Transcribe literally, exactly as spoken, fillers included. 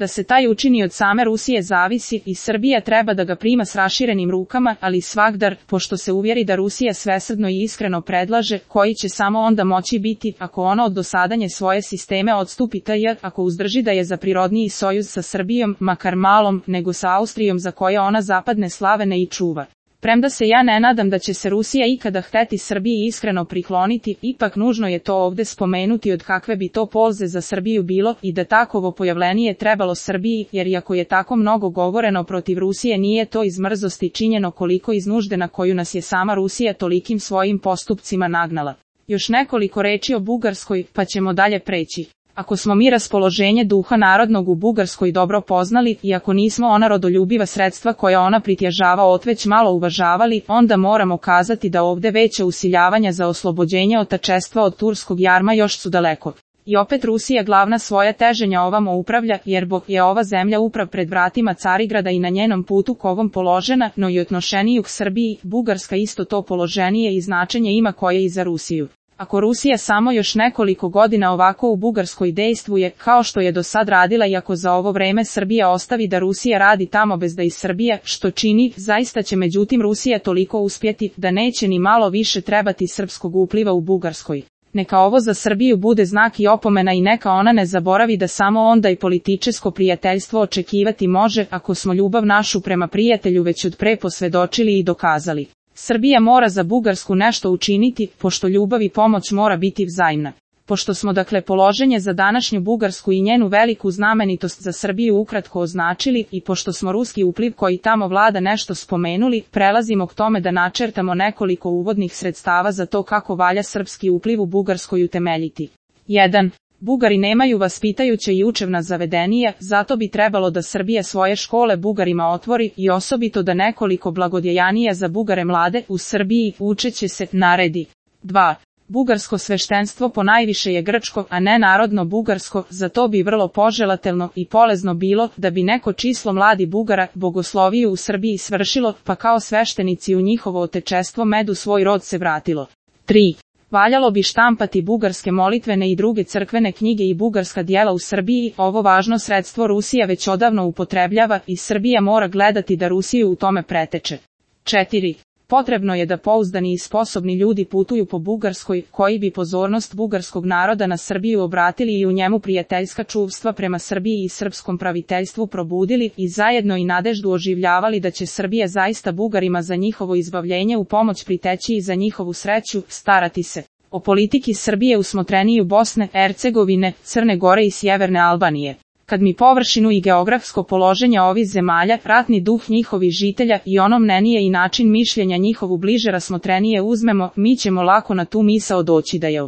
Da se taj učini od same Rusije zavisi i Srbija treba da ga prima s raširenim rukama, ali svagdar, pošto se uvjeri da Rusija svesrdno i iskreno predlaže, koji će samo onda moći biti, ako ono od dosadanje svoje sisteme odstupi taj, ako uzdrži da je za prirodniji sojuz sa Srbijom, makar malom, nego sa Austrijom za koje ona zapadne slavene i čuva. Premda se ja ne nadam da će se Rusija ikada hteti Srbiji iskreno prikloniti, ipak nužno je to ovde spomenuti od kakve bi to polze za Srbiju bilo i da takovo pojavlenije trebalo Srbiji, jer iako je tako mnogo govoreno protiv Rusije nije to iz mrzosti činjeno koliko iz nužde na koju nas je sama Rusija tolikim svojim postupcima nagnala. Još nekoliko reči o Bugarskoj, pa ćemo dalje preći. Ako smo mi raspoloženje duha narodnog u Bugarskoj dobro poznali, i ako nismo ona rodoljubiva sredstva koja ona pritježava otveć malo uvažavali, onda moramo kazati da ovde veća usiljavanja za oslobođenje otačestva od turskog jarma još su daleko. I opet Rusija glavna svoja teženja ovamo upravlja, jer Bog je ova zemlja uprav pred vratima Carigrada i na njenom putu k ovom položena, no i odnošeniju k Srbiji, Bugarska isto to položenije i značenje ima koje i za Rusiju. Ako Rusija samo još nekoliko godina ovako u Bugarskoj dejstvuje, kao što je do sad radila i ako za ovo vreme Srbija ostavi da Rusija radi tamo bez da i Srbija, što čini, zaista će međutim Rusija toliko uspjeti, da neće ni malo više trebati srpskog upliva u Bugarskoj. Neka ovo za Srbiju bude znak i opomena i neka ona ne zaboravi da samo onda i političko prijateljstvo očekivati može, ako smo ljubav našu prema prijatelju već od pre posvedočili i dokazali. Srbija mora za Bugarsku nešto učiniti, pošto ljubav i pomoć mora biti vzajamna. Pošto smo dakle položenje za današnju Bugarsku i njenu veliku znamenitost za Srbiju ukratko označili i pošto smo ruski upliv koji tamo vlada nešto spomenuli, prelazimo k tome da načrtamo nekoliko uvodnih sredstava za to kako valja srpski upliv u Bugarskoj utemeljiti. jedan. Bugari nemaju vaspitajuće i učevna zavedenija, zato bi trebalo da Srbija svoje škole Bugarima otvori i osobito da nekoliko blagodjejanija za Bugare mlade u Srbiji učeće se naredi. dva. Bugarsko sveštenstvo ponajviše je grčko, a ne narodno bugarsko, zato bi vrlo poželatelno i polezno bilo da bi neko číslo mladi Bugara bogosloviju u Srbiji svršilo, pa kao sveštenici u njihovo otečestvo medu svoj rod se vratilo. tri. Valjalo bi štampati bugarske molitvene i druge crkvene knjige i bugarska djela u Srbiji, ovo važno sredstvo Rusija već odavno upotrebljava i Srbija mora gledati da Rusiju u tome preteče. četiri. Potrebno je da pouzdani i sposobni ljudi putuju po Bugarskoj, koji bi pozornost bugarskog naroda na Srbiju obratili i u njemu prijateljska čuvstva prema Srbiji i srpskom praviteljstvu probudili i zajedno i nadeždu oživljavali da će Srbija zaista Bugarima za njihovo izbavljenje u pomoć priteći i za njihovu sreću starati se. O politiki Srbije u smotreniju Bosne, Hercegovine, Crne Gore i Sjeverne Albanije. Kad mi površinu i geografsko položenje ovih zemalja, ratni duh njihovih žitelja i ono mnenije i način mišljenja njihovu bliže rasmotrenije uzmemo, mi ćemo lako na tu misao doći da je